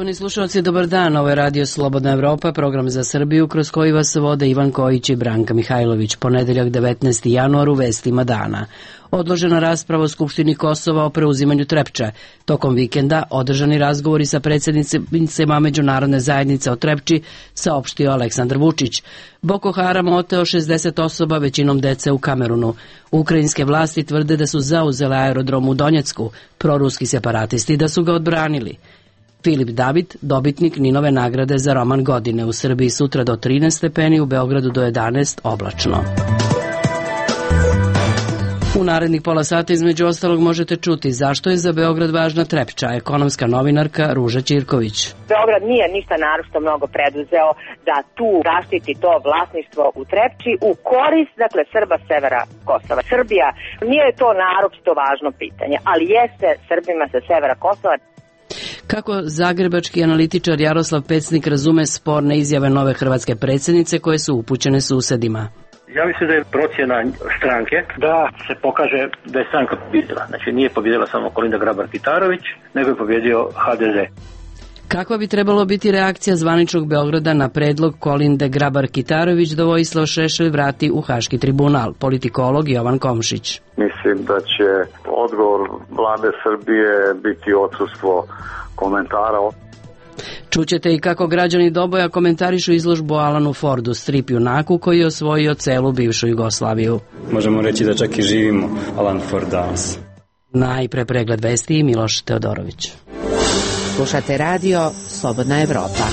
Poštovani slušalci, dobar dan. Ovo je Radio Slobodna Evropa, program za Srbiju kroz koji vas vode Ivan Kojić i Branka Mihajlović. Ponedeljak 19. januar u vestima dana. Odložena rasprava u Skupštini Kosova o preuzimanju Trepče. Tokom vikenda održani razgovori sa predsjednicima međunarodne zajednice o Trepči, saopštio Aleksandar Vučić. Boko Haram oteo 60 osoba, većinom dece u Kamerunu. Ukrajinske vlasti tvrde da su zauzele aerodrom u Donjecku, proruski separatisti da su ga odbranili. Filip David, dobitnik Ninove nagrade za roman godine. U Srbiji sutra do 13 stepeni, u Beogradu do 11 oblačno. U narednih pola sata između ostalog možete čuti zašto je za Beograd važna Trepča, ekonomska novinarka Ruža Ćirković. Beograd nije ništa naročito mnogo preduzeo da tu zaštiti to vlasništvo u Trepči u korist, dakle, Srba severa Kosova. Srbija nije to naročito važno pitanje, ali jeste Srbima sa severa Kosova. Kako zagrebački analitičar Jaroslav Pecnik razume sporne izjave nove hrvatske predsjednice koje su upućene susedima? Ja mislim da je procjena stranke da se pokaže da je stranka pobjedila. Znači nije pobjedila samo Kolinda Grabar-Kitarović, nego je pobjedio HDZ. Kakva bi trebalo biti reakcija zvaničnog Beograda na predlog Kolinde Grabar-Kitarović da Vojislav Šešelj vrati u Haški tribunal? Politikolog Jovan Komšić. Mislim da će odgovor vlade Srbije biti odsustvo komentara. Čućete i kako građani Doboja komentarišu izložbu Alanu Fordu, strip junaku koji je osvojio celu bivšu Jugoslaviju. Možemo reći da čak i živimo Alan Ford danas. Najpre pregled vesti i Miloš Teodorović. Slušate radio Slobodna Evropa.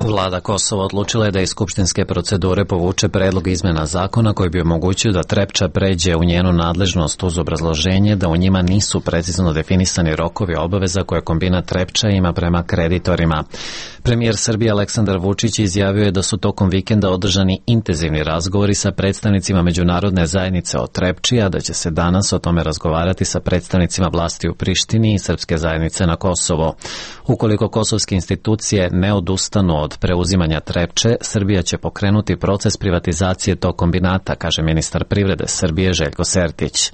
Vlada Kosova odlučila je da iz skupštinske procedure povuče predlog izmena zakona koji bi omogućio da Trepča pređe u njenu nadležnost uz obrazloženje da u njima nisu precizno definisani rokovi obaveza koje kombinat Trepča ima prema kreditorima. Premijer Srbije Aleksandar Vučić izjavio je da su tokom vikenda održani intenzivni razgovori sa predstavnicima međunarodne zajednice o Trepči, a da će se danas o tome razgovarati sa predstavnicima vlasti u Prištini i srpske zajednice na Kosovo. Ukoliko kosovske institucije ne odustanu od preuzimanja Trepče, Srbija će pokrenuti proces privatizacije tog kombinata, kaže ministar privrede Srbije Željko Sertić.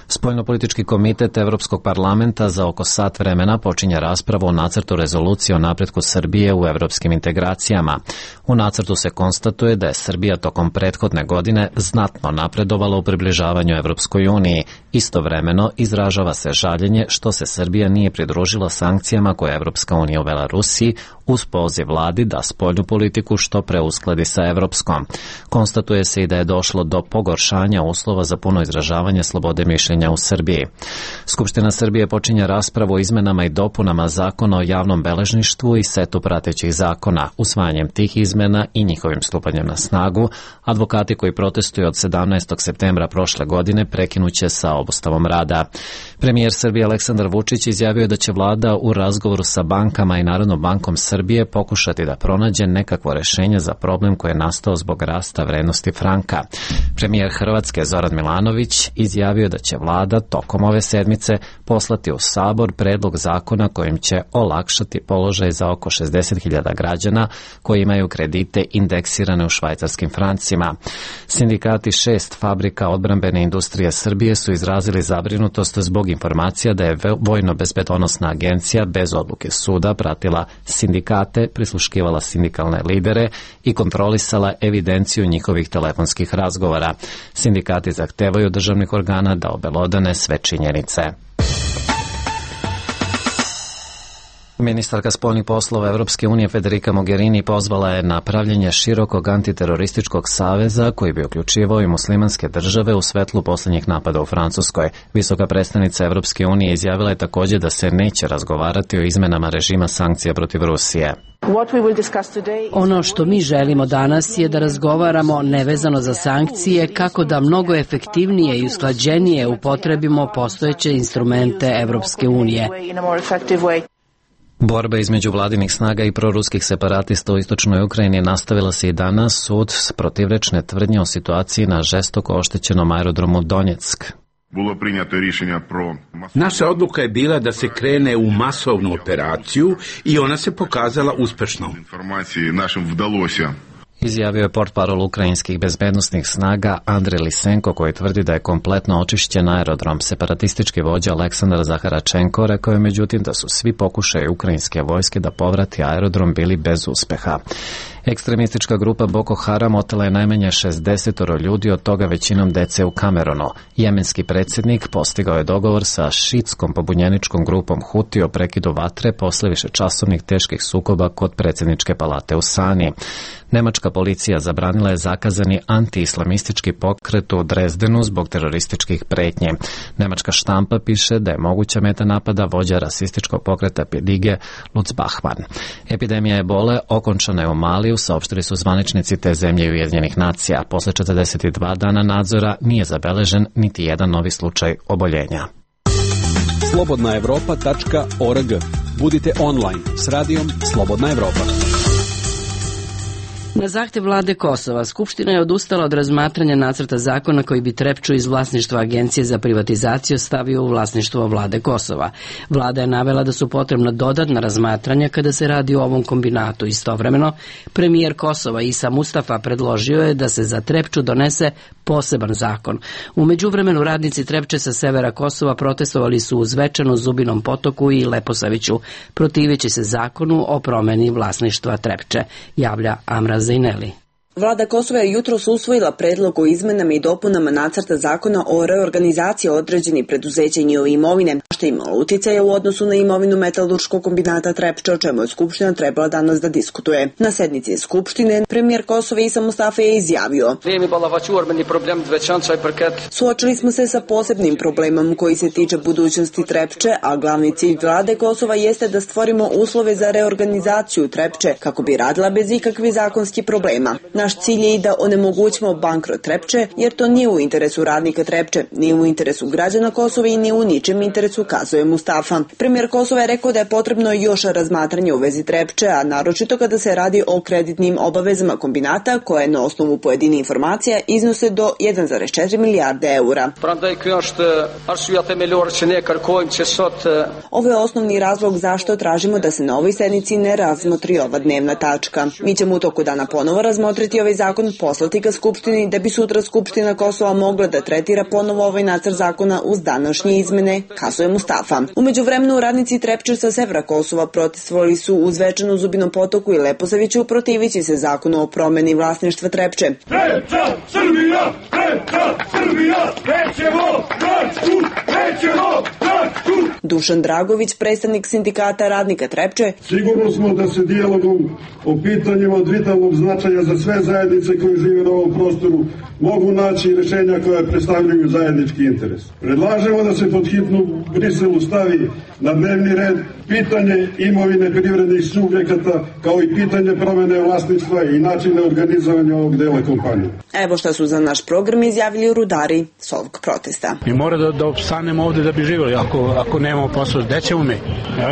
Spoljnopolitički komitet Evropskog parlamenta za oko sat vremena počinje raspravu o nacrtu rezolucije o napretku Srbije u evropskim integracijama. U nacrtu se konstatuje da je Srbija tokom prethodne godine znatno napredovala u približavanju Evropskoj uniji. Istovremeno izražava se žaljenje što se Srbija nije pridružila sankcijama koje je Evropska unija uvela Rusiji uz poziv vladi da spoljnu politiku što pre uskladi sa evropskom. Konstatuje se i da je došlo do pogoršanja uslova za puno izražavanje slobode mišljenja u Srbiji. Skupština Srbije počinje raspravu o izmenama i dopunama zakona o javnom beležništvu i setu pratećih zakona. Usvajanjem tih izmena i njihovim stupanjem na snagu, advokati koji protestuju od 17. septembra prošle godine prekinuće sa obustavom rada. Premijer Srbije Aleksandar Vučić izjavio je da će vlada u razgovoru sa bankama i Narodnom bankom Srbije pokušati da pronađe nekakvo rešenje za problem koji je nastao zbog rasta vrednosti franka. Premijer Hrvatske Zoran Milanović izjavio je da će vlada tokom ove sedmice poslati u Sabor predlog zakona kojim će olakšati položaj za oko 60.000 građana koji imaju kredite indeksirane u švajcarskim francima. Sindikati 6 fabrika odbrambene industrije Srbije su izrazili zabrinutost zbog informacija da je Vojno-bezbedonosna agencija bez odluke suda pratila sindikate, prisluškivala sindikalne lidere i kontrolisala evidenciju njihovih telefonskih razgovora. Sindikati zahtevaju državnih organa da obelodane sve činjenice. Ministarka spoljnih poslova Evropske unije Federica Mogherini pozvala je na pravljenje širokog antiterorističkog saveza koji bi uključivao i muslimanske države u svetlu posljednjih napada u Francuskoj. Visoka predstavnica Evropske unije izjavila je također da se neće razgovarati o izmenama režima sankcija protiv Rusije. Ono što mi želimo danas je da razgovaramo nevezano za sankcije kako da mnogo efektivnije i usklađenije upotrebimo postojeće instrumente Evropske unije. Borba između vladinih snaga i proruskih separatista u istočnoj Ukrajini nastavila se i danas sud protivrečne tvrdnje o situaciji na žestoko oštećenom aerodromu Donjeck. Naša odluka je bila da se krene u masovnu operaciju i ona se pokazala uspešnom. Izjavio je portparol ukrajinskih bezbednosnih snaga Andrej Lisenko, koji tvrdi da je kompletno očišćen aerodrom. Separatistički vođa Aleksandar Zaharačenko rekao je međutim da su svi pokušaji ukrajinske vojske da povrati aerodrom bili bez uspeha. Ekstremistička grupa Boko Haram otela je najmanje 60 ljudi, od toga većinom dece u Kamerunu. Jemenski predsjednik postigao je dogovor sa šiitskom pobunjeničkom grupom Huti o prekidu vatre posle višečasovnih teških sukoba kod predsjedničke palate u Sani. Nemačka policija zabranila je zakazani anti-islamistički pokret u Drezdenu zbog terorističkih pretnji. Nemačka štampa piše da je moguća meta napada vođa rasističkog pokreta Pedige Lutz Bachmann. Epidemija ebole okončana je u Maliju, saopštili su zvaničnici te zemlje Ujedinjenih nacija. Posle 42 dana nadzora nije zabeležen niti jedan novi slučaj oboljenja. Slobodnaevropa.org. Budite online s radijom Slobodna Evropa. Na zahtev vlade Kosova, Skupština je odustala od razmatranja nacrta zakona koji bi Trepču iz vlasništva Agencije za privatizaciju stavio u vlasništvo vlade Kosova. Vlada je navela da su potrebna dodatna razmatranja kada se radi o ovom kombinatu. Istovremeno, premijer Kosova Isa Mustafa predložio je da se za Trepču donese poseban zakon. U međuvremenu radnici Trepče sa severa Kosova protestovali su u Zvečanu, Zubinom Potoku i Leposaviću, protiveći se zakonu o promeni vlasništva Trepče, javlja Amra Zaineli. Vlada Kosova je jutros usvojila predlog o izmenama i dopunama nacrta zakona o reorganizaciji određenih preduzeća i njihove imovine, što je imalo uticaja u odnosu na imovinu metalurškog kombinata Trepča, o čemu je Skupština trebala danas da diskutuje. Na sednici Skupštine premijer Kosova Isa Mustafa je izjavio: suočili smo se sa posebnim problemom koji se tiče budućnosti Trepče, a glavni cilj vlade Kosova jeste da stvorimo uslove za reorganizaciju Trepče kako bi radila bez ikakvih zakonskih problema. Naš cilj je i da onemogućimo bankrot Trepče, jer to nije u interesu radnika Trepče, nije u interesu građana Kosova i nije u ničem interesu, kazuje Mustafa. Premijer Kosova je rekao da je potrebno još razmatranje u vezi Trepče, a naročito kada se radi o kreditnim obavezama kombinata, koje na osnovu pojedine informacija iznose do 1,4 milijarde eura. Ovo je osnovni razlog zašto tražimo da se na ovoj sednici ne razmotri ova dnevna tačka. Mi ćemo u toku dana ponovo razmotriti ovaj zakon, poslati ga Skupštini da bi sutra Skupština Kosova mogla da tretira ponovo ovaj nacrt zakona uz današnje izmene, kazuje Mustafa. U međuvremenu radnici Trepče sa severa Kosova protestovali su u Zvečanu, Zubinom Potoku i Leposaviću, protivići se zakonu o promeni vlasništva Trepče. Trepča, Srbija! Trepča, Srbija! Nećemo Trepču! Nećemo Trepču! Dušan Dragović, predstavnik sindikata radnika Trepče: sigurno smo da se dijalogom o pitanjima od vitalnog značaja za sve zajednice koje žive na ovom prostoru mogu naći rješenja koja predstavljaju zajednički interes. Predlažemo da se pod hitnu Briselu stavi na dnevni red pitanje imovine privrednih subjekata, kao i pitanje promene vlasništva i načine organizovanja ovog dela kompanije. Evo šta su za naš program izjavili rudari s ovog protesta. Mi moramo da opstanemo ovde da bi živjeli, ako nemamo posao, gde ćemo mi?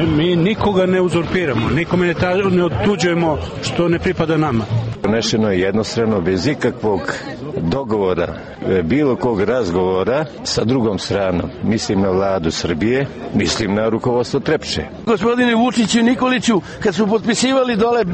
Mi nikoga ne uzurpiramo, nikome ne otuđujemo što ne pripada nama. Donešeno je jednostrano, bez ikakvog dogovora, bilo kog razgovora sa drugom stranom. Mislim na vladu Srbije, mislim na rukovodstvo Trepče. Gospodine Vučiću i Nikoliću, kad su potpisivali dole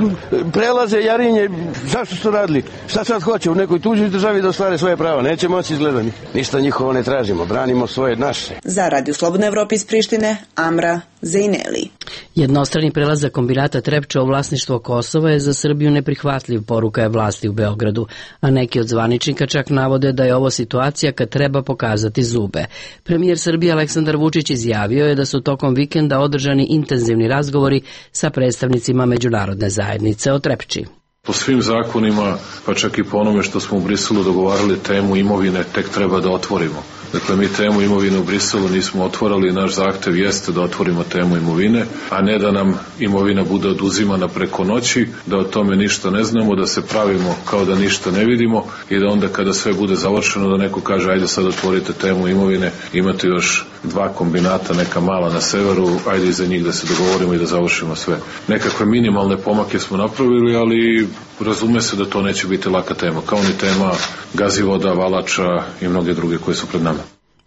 prelaze Jarinje, zašto su radili? Šta sad hoće u nekoj tuđoj državi da ostvare svoje prava? Neće moći izgledani. Ništa njihovo ne tražimo, branimo svoje naše. Za Radio Slobodna Evropa iz Prištine, Amra Zaineli. Jednostrani prelazak kombinata Trepča u vlasništvo Kosova je za Srbiju neprihvatljiv, poruka je vlasti u Beogradu, a neki od zvaničnika čak navode da je ovo situacija kad treba pokazati zube. Premijer Srbije Aleksandar Vučić izjavio je da su tokom vikenda održani intenzivni razgovori sa predstavnicima međunarodne zajednice o Trepči. Po svim zakonima, pa čak i po onome što smo u Briselu dogovarali, temu imovine tek treba da otvorimo. Dakle, mi temu imovine u Briselu nismo otvorali i naš zahtev jeste da otvorimo temu imovine, a ne da nam imovina bude oduzimana preko noći, da o tome ništa ne znamo, da se pravimo kao da ništa ne vidimo i da onda kada sve bude završeno da neko kaže ajde sad otvorite temu imovine, imate još 2 kombinata, neka mala na severu, ajde iza njih da se dogovorimo i da završimo sve. Nekakve minimalne pomake smo napravili, ali razume se da to neće biti laka tema, kao ni tema Gazivoda, Valača i mnoge druge koje su pred nama.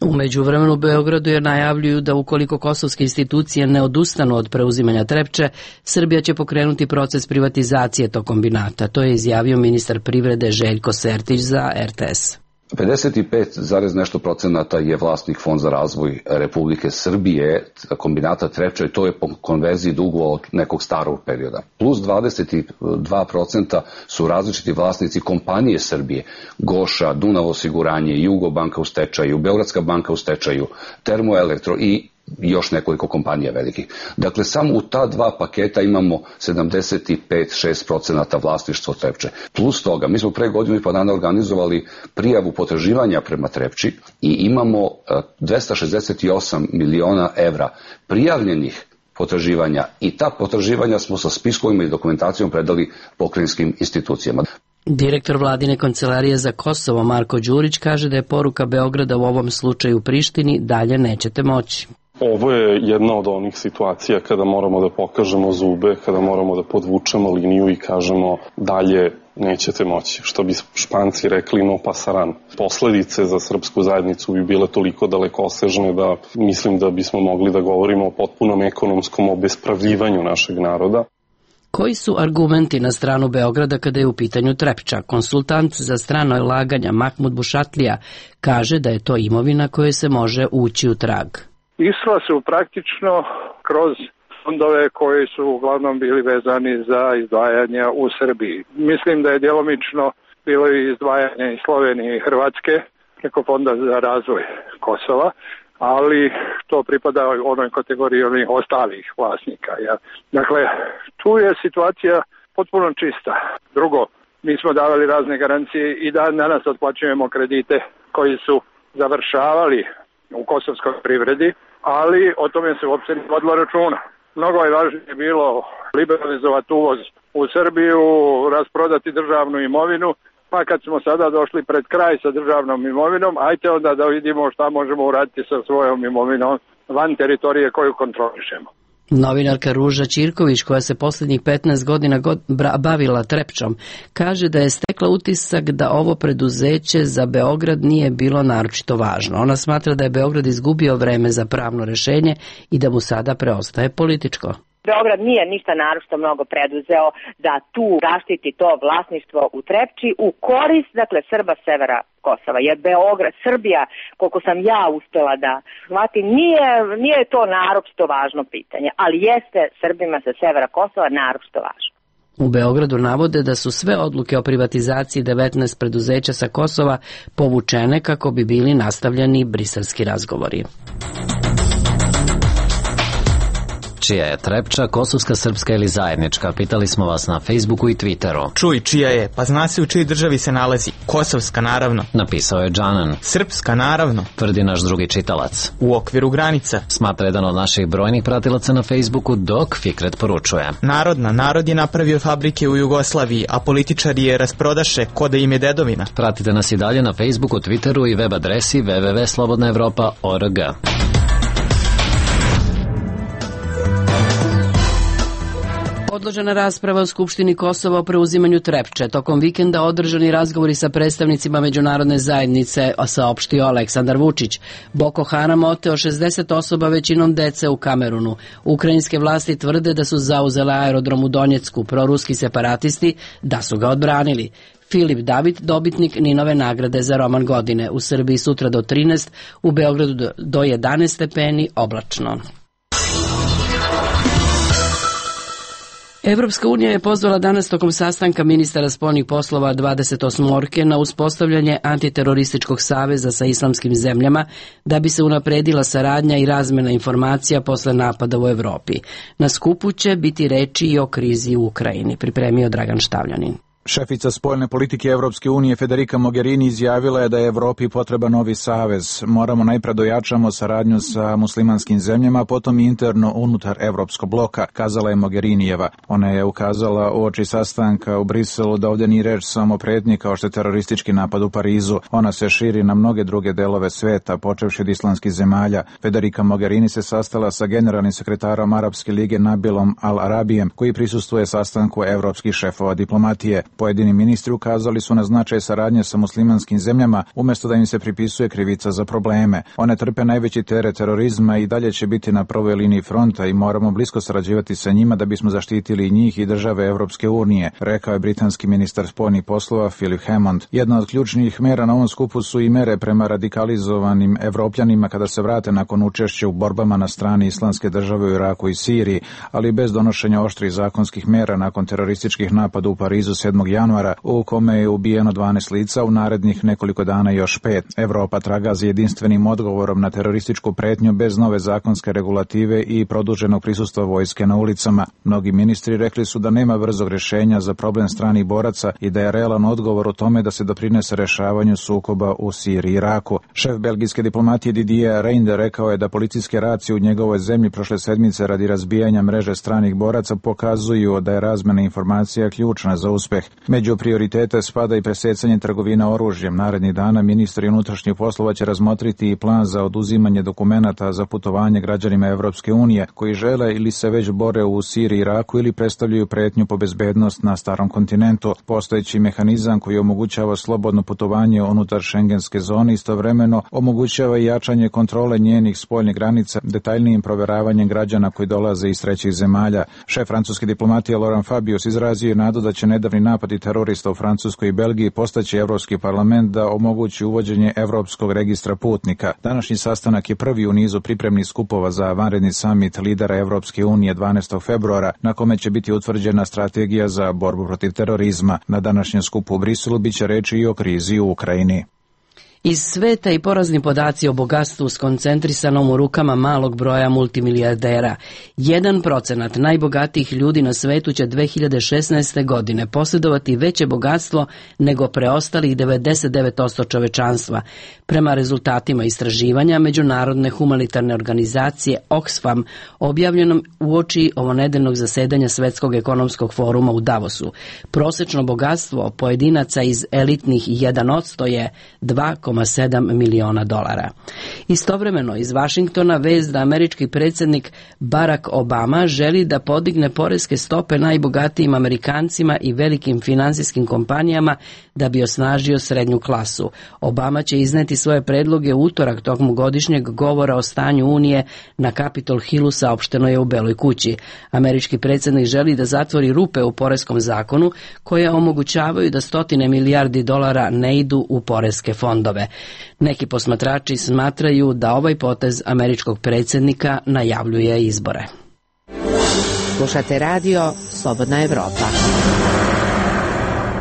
U međuvremenu u Beogradu je najavljuju da ukoliko kosovske institucije ne odustanu od preuzimanja Trepče, Srbija će pokrenuti proces privatizacije tog kombinata. To je izjavio ministar privrede Željko Sertić za RTS. 55, nešto procenata je vlasnik Fond za razvoj Republike Srbije, kombinata Trepča, i to je po konverziji dugova od nekog starog perioda. Plus 22% su različiti vlasnici kompanije Srbije, Goša, Dunav osiguranje, Jugobanka u stečaju, Beogradska banka u stečaju, Termoelektro i još nekoliko kompanija velikih. Dakle, samo u ta dva paketa imamo 75-6% vlasništvo Trepče. Plus toga, mi smo pre godinu i po dana organizovali prijavu potraživanja prema Trepči i imamo 268 miliona evra prijavljenih potraživanja i ta potraživanja smo sa spiskovima i dokumentacijom predali pokrajinskim institucijama. Direktor vladine kancelarije za Kosovo Marko Đurić kaže da je poruka Beograda u ovom slučaju Prištini: dalje nećete moći. Ovo je jedna od onih situacija kada moramo da pokažemo zube, kada moramo da podvučemo liniju i kažemo dalje nećete moći. Što bi Španci rekli, no pasaran. Posledice za srpsku zajednicu bi bile toliko dalekosežne da mislim da bismo mogli da govorimo o potpunom ekonomskom obespravljivanju našeg naroda. Koji su argumenti na stranu Beograda kada je u pitanju Trepča? Konsultant za strano ulaganja Mahmud Bušatlija kaže da je to imovina kojoj se može ući u trag. Išla su praktično kroz fondove koji su uglavnom bili vezani za izdvajanja u Srbiji. Mislim da je djelomično bilo i izdvajanje iz Slovenije i Hrvatske preko Fonda za razvoj Kosova, ali to pripada onoj kategoriji onih ostalih vlasnika. Ja. Dakle, tu je situacija potpuno čista. Drugo, mi smo davali razne garancije i danas otplaćujemo kredite koji su završavali u kosovskoj privredi, ali o tome se uopće ne vodilo računa. Mnogo je važnije bilo liberalizovati uvoz u Srbiju, rasprodati državnu imovinu, pa kad smo sada došli pred kraj sa državnom imovinom, ajte onda da vidimo šta možemo uraditi sa svojom imovinom van teritorije koju kontrolišemo. Novinarka Ruža Ćirković, koja se posljednjih 15 godina bavila Trepčom, kaže da je stekla utisak da ovo preduzeće za Beograd nije bilo naročito važno. Ona smatra da je Beograd izgubio vreme za pravno rešenje i da mu sada preostaje političko. Beograd nije ništa naročito mnogo preduzeo da tu zaštiti to vlasništvo u Trepči u korist, dakle, Srba severa Kosova. Jer Beograd, Srbija, koliko sam ja uspela da shvatim, nije to naročito važno pitanje, ali jeste Srbima sa severa Kosova naročito važno. U Beogradu navode da su sve odluke o privatizaciji 19 preduzeća sa Kosova povučene kako bi bili nastavljeni briselski razgovori. Čija je Trepča, kosovska, srpska ili zajednička? Pitali smo vas na Facebooku i Twitteru. Čuj, čija je? Pa zna se u čijoj državi se nalazi. Kosovska, naravno. Napisao je Džanan. Srpska, naravno. Tvrdi naš drugi čitalac. U okviru granica. Smatra jedan od naših brojnih pratilaca na Facebooku, dok Fikret poručuje. Narodna, narod je napravio fabrike u Jugoslaviji, a političari je rasprodaše, ko da im je dedovina. Pratite nas i dalje na Facebooku, Twitteru i web adresi www.slobodnaevropa.org. Odložena rasprava u Skupštini Kosova o preuzimanju Trepče. Tokom vikenda održani razgovori sa predstavnicima međunarodne zajednice, saopštio Aleksandar Vučić. Boko Haram oteo 60 osoba, većinom dece, u Kamerunu. Ukrajinske vlasti tvrde da su zauzele aerodrom u Donjecku, proruski separatisti da su ga odbranili. Filip David, dobitnik Ninove nagrade za roman godine. U Srbiji sutra do 13, u Beogradu do 11 stepeni, oblačno. Evropska unija je pozvala danas tokom sastanka ministara spoljnih poslova 28 na uspostavljanje antiterorističkog saveza sa islamskim zemljama da bi se unapredila saradnja i razmena informacija posle napada u Evropi. Na skupu će biti reči i o krizi u Ukrajini, pripremio Dragan Štavljanin. Šefica spoljne politike Evropske unije Federica Mogherini izjavila je da je Evropi potreba novi savez. Moramo najpre dojačamo saradnju sa muslimanskim zemljama, potom interno unutar Evropskog bloka, kazala je Mogherinijeva. Ona je ukazala uoči sastanka u Briselu da ovdje nije reč samo o pretnji kao što je teroristički napad u Parizu. Ona se širi na mnoge druge delove sveta, počevši od islamskih zemalja. Federica Mogherini se sastala sa generalnim sekretarom Arapske lige Nabilom Al-Arabijem, koji prisustvuje sastanku evropskih šefova diplomatije. Pojedini ministri ukazali su na značaj saradnje sa muslimanskim zemljama umjesto da im se pripisuje krivica za probleme. One trpe najveći teret terorizma i dalje će biti na prvoj liniji fronta i moramo blisko sarađivati sa njima da bismo zaštitili njih i države Evropske unije, rekao je britanski ministar spoljnih poslova Philip Hammond. Jedna od ključnih mera na ovom skupu su i mere prema radikalizovanim Evropljanima kada se vrate nakon učešća u borbama na strani Islamske države u Iraku i Siriji, ali bez donošenja oštrih zakonskih mera nakon terorističkih napada u Parizu 7. januara, u kome je ubijeno 12 lica, u narednih nekoliko dana još 5. Evropa traga za jedinstvenim odgovorom na terorističku pretnju bez nove zakonske regulative i produženog prisustva vojske na ulicama. Mnogi ministri rekli su da nema brzog rješenja za problem stranih boraca i da je realan odgovor u tome da se doprinese rešavanju sukoba u Siriji i Iraku. Šef belgijske diplomatije Didier Reynders rekao je da policijske racije u njegovoj zemlji prošle sedmice radi razbijanja mreže stranih boraca pokazuju da je razmena informacija ključna za uspeh. Među prioritete spada i presecanje trgovina oružjem. Narednih dana ministri unutrašnjih poslova će razmotriti i plan za oduzimanje dokumenata za putovanje građanima Evropske unije koji žele ili se već bore u Siriji i Iraku ili predstavljaju pretnju po bezbednost na starom kontinentu. Postojeći mehanizam koji omogućava slobodno putovanje unutar šengenske zone istovremeno omogućava i jačanje kontrole njenih spoljnih granica detaljnijim provjeravanjem građana koji dolaze iz trećih zemalja. Šef francuske diplomatije Laurent Fabius izrazio je nadu da će nedavni napadi terorista u Francuskoj i Belgiji postaći Evropski parlament da omogući uvođenje Evropskog registra putnika. Današnji sastanak je prvi u nizu pripremnih skupova za vanredni samit lidera Evropske unije 12. februara, na kome će biti utvrđena strategija za borbu protiv terorizma. Na današnjem skupu u Briselu biće reči i o krizi u Ukrajini. Iz sveta i porazni podaci o bogatstvu skoncentrisanom u rukama malog broja multimilijardera. 1% najbogatijih ljudi na svetu će 2016. godine posjedovati veće bogatstvo nego preostalih 99% čovečanstva. Prema rezultatima istraživanja Međunarodne humanitarne organizacije Oxfam, objavljenom uoči ovonedeljnog zasedanja Svetskog ekonomskog foruma u Davosu, prosečno bogatstvo pojedinaca iz elitnih 1% je 2,7 miliona dolara. Istovremeno iz Vašingtona vest da američki predsjednik Barack Obama želi da podigne poreske stope najbogatijim Amerikancima i velikim finansijskim kompanijama da bi osnažio srednju klasu. Obama će izneti svoje predloge u utorak tokom godišnjeg govora o stanju Unije na Capitol Hillu, saopšteno je u Beloj kući. Američki predsjednik želi da zatvori rupe u poreskom zakonu koje omogućavaju da stotine milijardi dolara ne idu u poreske fondove. Neki posmatrači smatraju da ovaj potez američkog predsjednika najavljuje izbore. Slušate radio Slobodna Evropa.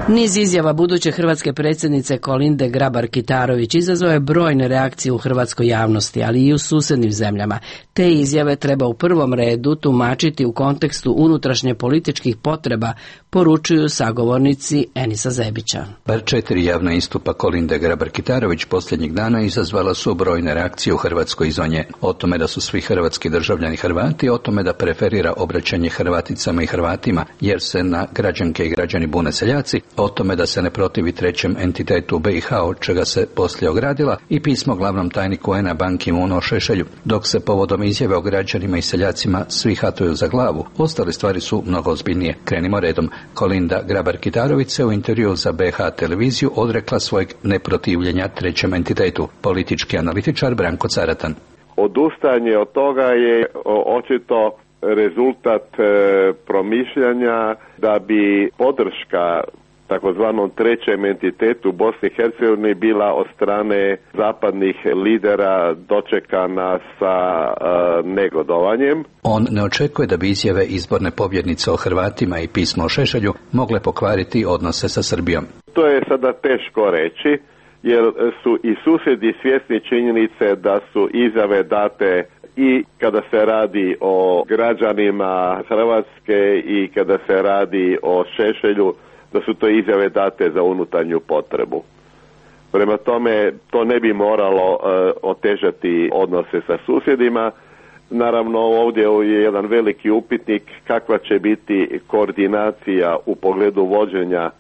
Niz izjava buduće hrvatske predsjednice Kolinde Grabar-Kitarović izazvao je brojne reakcije u hrvatskoj javnosti, ali i u susjednim zemljama. Te izjave treba u prvom redu tumačiti u kontekstu unutrašnje političkih potreba, poručuju sagovornici Enisa Zebića. Bar 4 javna istupa Kolinde Grabar-Kitarović posljednjih dana izazvala su brojne reakcije u Hrvatskoj izvan nje. O tome da su svi hrvatski državljani Hrvati, o tome da preferira obraćanje Hrvaticama i Hrvatima, jer se na građanke i građani bune seljaci, o tome da se ne protivi trećem entitetu BiH, od čega se poslije ogradila, i pismo glavnom tajniku UN-a Ban Ki-moonu o Šešelju. Dok se povodom izjave o građanima i seljacima svi hatuju za glavu, ostale stvari su mnogo ozbiljnije. Krenimo redom. Kolinda Grabar-Kitarović se u intervjuu za BiH televiziju odrekla svojeg neprotivljenja trećem entitetu. Politički analitičar Branko Caratan. Odustajanje od toga je očito rezultat promišljanja da bi podrška takozvanom trećem entitetu Bosni i Hercegovini bila od strane zapadnih lidera dočekana sa negodovanjem. On ne očekuje da bi izjave izborne pobjednice o Hrvatima i pismo o Šešelju mogle pokvariti odnose sa Srbijom. To je sada teško reći, jer su i susjedi svjesni činjenice da su izjave date i kada se radi o građanima Hrvatske i kada se radi o Šešelju, da su to izjave date za unutarnju potrebu. Prema tome, to ne bi moralo otežati odnose sa susjedima. Naravno, ovdje je jedan veliki upitnik kakva će biti koordinacija u pogledu vođenja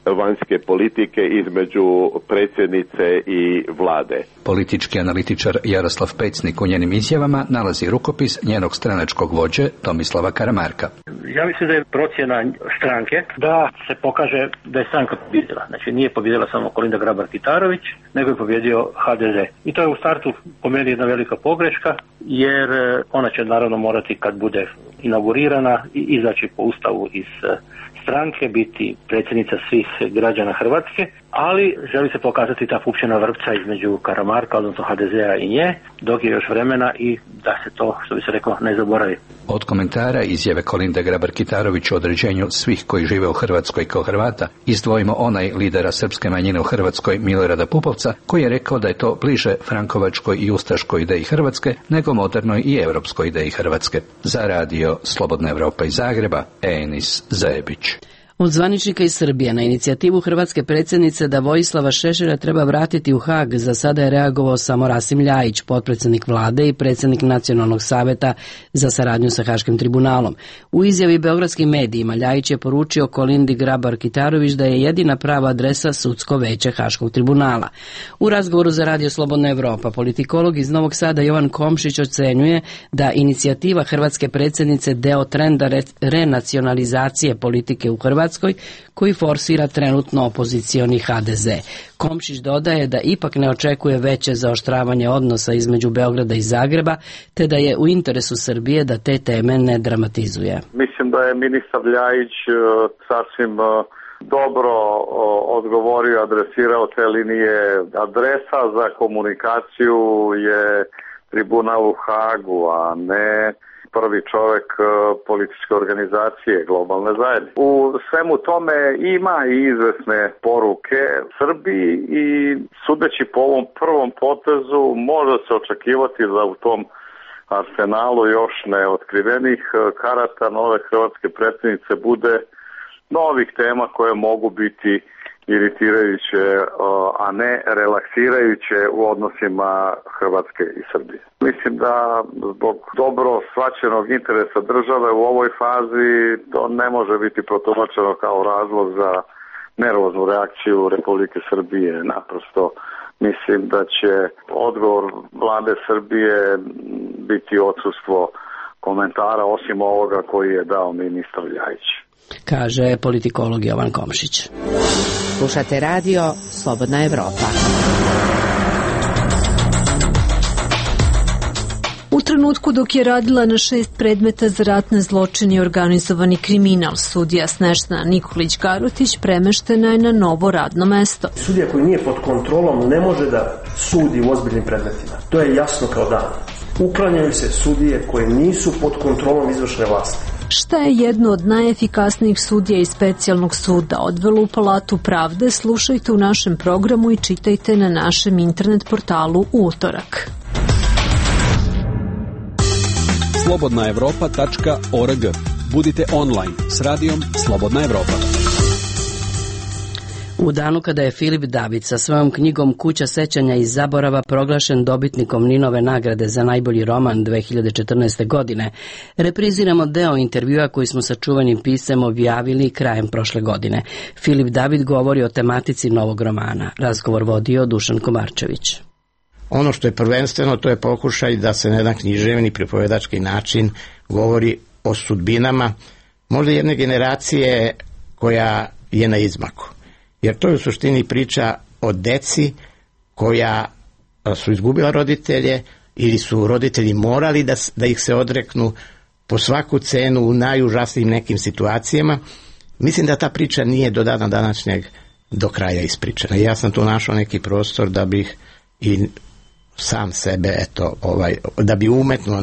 vanjske politike između predsjednice i vlade. Politički analitičar Jaroslav Pecnik u njenim izjavama nalazi rukopis njenog stranačkog vođe Tomislava Karamarka. Ja mislim da je procjena stranke da se pokaže da je stranka pobjedila. Znači nije pobjedila samo Kolinda Grabar-Kitarović, nego je pobjedio HDZ. I to je u startu po meni jedna velika pogreška, jer ona će naravno morati kad bude inaugurirana izaći po ustavu iz stranke, biti predsjednica svih građana Hrvatske, ali želi se pokazati ta pupčana vrpca između Karamarka, odnosno HDZ-a i nje, dok je još vremena i da se to, što bi se reklo, ne zaboravi. Od komentara izjave Kolinde Grabar-Kitarović o određenju svih koji žive u Hrvatskoj kao Hrvata, izdvojimo onaj lidera srpske manjine u Hrvatskoj Milorada Pupovca, koji je rekao da je to bliže frankovačkoj i ustaškoj ideji Hrvatske nego modernoj i europskoj ideji Hrvatske. Za radio Slobodna Evropa iz Zagreba, Enis Zajebić. Od zvaničnika iz Srbije na inicijativu hrvatske predsjednice da Vojislava Šešelja treba vratiti u Hag, za sada je reagovao samo Rasim Ljajić, potpredsjednik vlade i predsjednik Nacionalnog saveta za saradnju sa Haškim tribunalom. U izjavi beogradskim medijima Ljajić je poručio Kolindi Grabar-Kitarović da je jedina prava adresa sudsko veće Haškog tribunala. U razgovoru za radio Slobodna Evropa politikolog iz Novog Sada Jovan Komšić ocenjuje da inicijativa hrvatske predsjednice deo trenda renacionalizacije politike u Hrvatskoj koji forsira trenutno opozicioni HDZ. Komšić dodaje da ipak ne očekuje veće zaoštravanje odnosa između Beograda i Zagreba, te da je u interesu Srbije da te teme ne dramatizuje. Mislim da je ministar Ljajić sasvim dobro odgovorio, adresirao te linije. Adresa za komunikaciju je tribunal u Hagu, a ne prvi čovjek političke organizacije globalne zajednice. U svemu tome ima i izvesne poruke Srbiji i sudeći po ovom prvom potezu može se očekivati da u tom arsenalu još neotkrivenih karata nove hrvatske predsjednice bude novih tema koje mogu biti iritirajuće, a ne relaksirajuće u odnosima Hrvatske i Srbije. Mislim da zbog dobro shvaćenog interesa države u ovoj fazi to ne može biti protumačeno kao razlog za nervoznu reakciju Republike Srbije. Naprosto mislim da će odgovor vlade Srbije biti odsustvo komentara osim ovoga koji je dao ministar Ljajić, kaže politikolog Jovan Komšić. Slušate radio Slobodna Evropa. U trenutku dok je radila na 6 predmeta za ratne zločine i organizovani kriminal, sudija Snežana Nikolić-Garutić premeštena je na novo radno mesto. Sudija koji nije pod kontrolom ne može da sudi u ozbiljnim predmetima. To je jasno kao dan. Uklanjaju se sudije koje nisu pod kontrolom izvršne vlasti. Šta je jedno od najefikasnijih sudija iz specijalnog suda odvelo u Palatu pravde, slušajte u našem programu i čitajte na našem internet portalu u utorak. slobodnaevropa.org. Budite online s radijom Slobodna Evropa. U danu kada je Filip David sa svojom knjigom Kuća sećanja i zaborava proglašen dobitnikom Ninove nagrade za najbolji roman 2014. godine, repriziramo deo intervjua koji smo sa čuvenim piscem objavili krajem prošle godine. Filip David govori o tematici novog romana. Razgovor vodio Dušan Komarčević. Ono što je prvenstveno, to je pokušaj da se na jedan književni pripovedački način govori o sudbinama možda jedne generacije koja je na izmaku. Jer to je u suštini priča o deci koja su izgubila roditelje ili su roditelji morali da ih se odreknu po svaku cenu u najužasnijim nekim situacijama. Mislim da ta priča nije do dana današnjeg do kraja ispričana. Ja sam tu našao neki prostor da bih i sam sebe, da bi umetnuo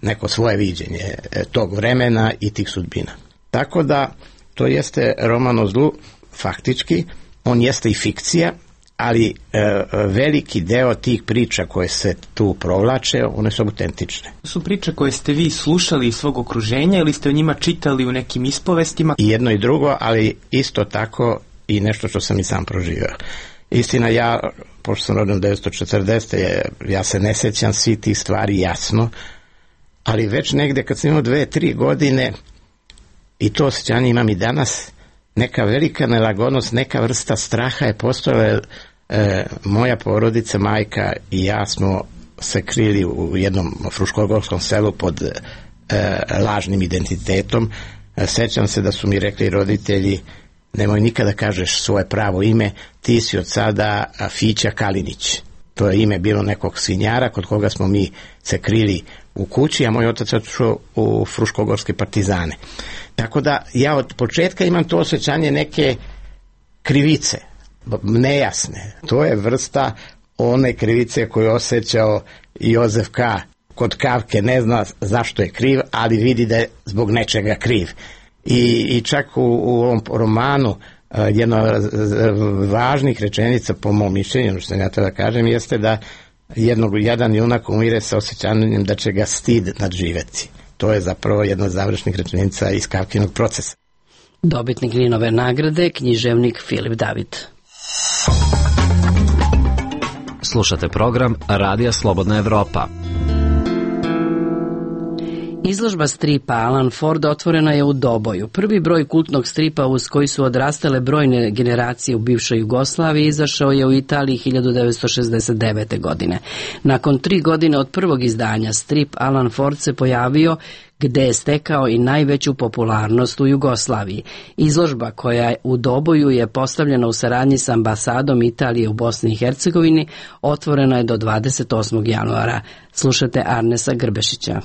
neko svoje viđenje tog vremena i tih sudbina. Tako da to jeste roman o zlu. Faktički, on jeste i fikcija, ali veliki deo tih priča koje se tu provlače, one su autentične. Su priče koje ste vi slušali iz svog okruženja ili ste o njima čitali u nekim ispovestima? I jedno i drugo, ali isto tako i nešto što sam i sam proživio. Istina, ja, pošto sam rođen 1940. ja se ne sjećam svih tih stvari jasno, ali već negde kad sam imao 2-3 godine, i to osjećanje imam i danas, neka velika nelagodnost, neka vrsta straha je postojala. Moja porodica, majka i ja smo se krili u jednom fruškogorskom selu pod lažnim identitetom. Sećam se da su mi rekli roditelji, nemoj nikada kažeš svoje pravo ime, ti si od sada Fića Kalinić. To je ime bilo nekog svinjara kod koga smo mi se krili u kući, a moj otac je otišao u fruškogorske partizane. Tako da ja od početka imam to osjećanje neke krivice, nejasne. To je vrsta one krivice koju je osjećao Jozef K. Kod Kafke, ne zna zašto je kriv, ali vidi da je zbog nečega kriv. I čak u ovom romanu jedna od važnih rečenica, po mom mišljenju, što ja treba kažem, jeste da jedan junak umire sa osjećanjem da će ga stid nadživeti. To je zapravo jedna od završnih rečenica iz Kafkinog procesa. Dobitnik Ninove nagrade, književnik Filip David. Slušate program Radija Slobodna Evropa. Izložba stripa Alan Ford otvorena je u Doboju. Prvi broj kultnog stripa uz koji su odrastale brojne generacije u bivšoj Jugoslaviji izašao je u Italiji 1969. godine. Nakon 3 godine od prvog izdanja, strip Alan Ford se pojavio gde je stekao i najveću popularnost u Jugoslaviji. Izložba koja u Doboju je postavljena u saradnji sa ambasadom Italije u Bosni i Hercegovini, otvorena je do 28. januara. Slušate Arnesa Grbešića.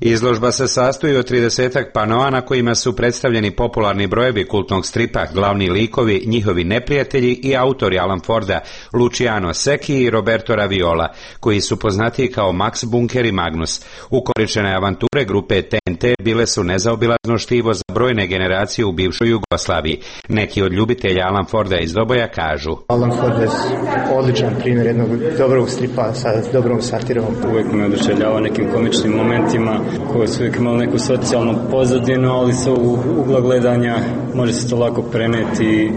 Izložba se sastoji od 30 panoa na kojima su predstavljeni popularni brojevi kultnog stripa, glavni likovi, njihovi neprijatelji i autori Alan Forda, Luciano Secchi i Roberto Raviola, koji su poznatiji kao Max Bunker i Magnus. Ukoričene avanture grupe TNT bile su nezaobilazno štivo za brojne generacije u bivšoj Jugoslaviji. Neki od ljubitelja Alan Forda iz Doboja kažu: Alan Ford je odličan primjer jednog dobrog stripa sa dobrom satirom. Uvijek me oduševljava nekim komičnim momentima koji su uvijek imali neku socijalnu pozadinu, ali sa ugla gledanja može se to lako preneti i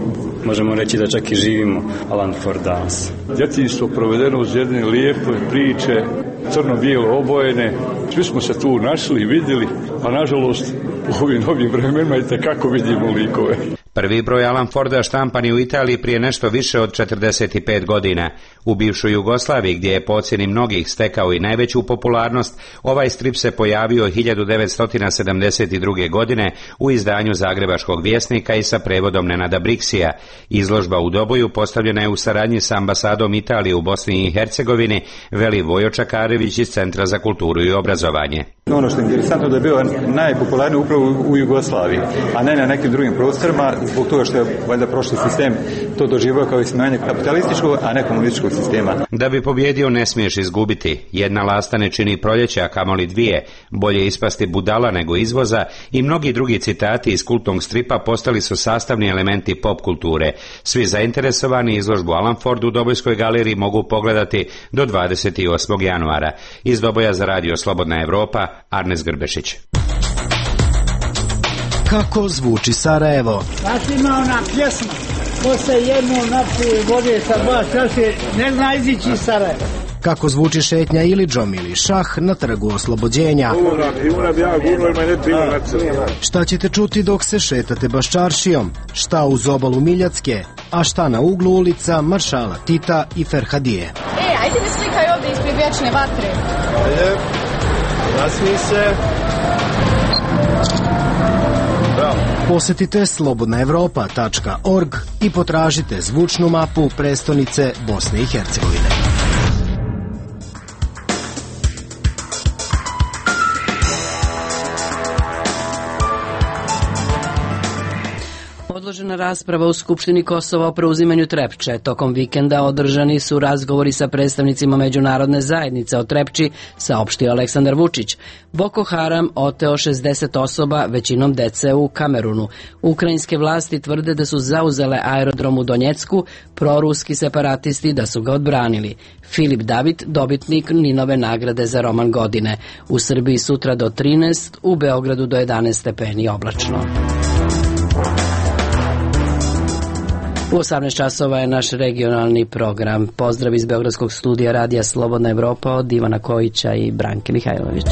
možemo reći da čak i živimo Alan Ford danas. Djetinjstvo provedeno uz jedne lijepe priče, crno-bijelo obojene, svi smo se tu našli i vidjeli, a nažalost u ovim novim vremenima i tekako vidimo likove. Prvi broj Alan Forda štampan je u Italiji prije nešto više od 45 godina. U bivšoj Jugoslaviji, gdje je po ocjeni mnogih stekao i najveću popularnost, ovaj strip se pojavio 1972. godine u izdanju Zagrebačkog vjesnika i sa prevodom Nenada Briksija. Izložba u Doboju postavljena je u saradnji sa ambasadom Italije u Bosni i Hercegovini, veli Vojo Čakarević iz Centra za kulturu i obrazovanje. Ono što je interesantno da je bio najpopularniji upravo u Jugoslaviji, a ne na nekim drugim prostorima, zbog toga što je valjda prošli sistem to doživio kao ismijanje kapitalističkog, a ne komunističkog sistema. Da bi pobjedio ne smiješ izgubiti. Jedna lasta ne čini proljeće, a kamoli dvije. Bolje ispasti budala nego izvoza i mnogi drugi citati iz kultnog stripa postali su sastavni elementi pop kulture. Svi zainteresovani izložbu Alan Ford u Dobojskoj galeriji mogu pogledati do 28. januara. Iz Doboja za Radio Slobodna Evropa, Arnes Grbešić. Kako zvuči Sarajevo? Znaš ima ona pjesma, ko se jedno napije vode sa dva čaše, ne zna izići iz Sarajeva. Kako zvuči šetnja Ilidžom ili šah na trgu Oslobođenja? Šta ćete čuti dok se šetate Baščaršijom? Šta uz obalu Miljacke? A šta na uglu ulica Maršala Tita i Ferhadije? Ajde mi slikaj ovdje ispred vječne vatre. Ajde, nasmij se. Posetite slobodnaevropa.org i potražite zvučnu mapu prestonice Bosne i Hercegovine. Odložena rasprava u Skupštini Kosova o preuzimanju Trepče. Tokom vikenda održani su razgovori sa predstavnicima međunarodne zajednice o Trepči, saopštio Aleksandar Vučić. Boko Haram oteo 60 osoba, većinom dece u Kamerunu. Ukrajinske vlasti tvrde da su zauzele aerodrom u Donjecku, proruski separatisti da su ga odbranili. Filip David, dobitnik Ninove nagrade za roman godine. U Srbiji sutra do 13, u Beogradu do 11 stepeni oblačno. U 18 časova je naš regionalni program. Pozdrav iz Beogradskog studija Radija Slobodna Evropa od Ivana Kojića i Branke Mihajlović.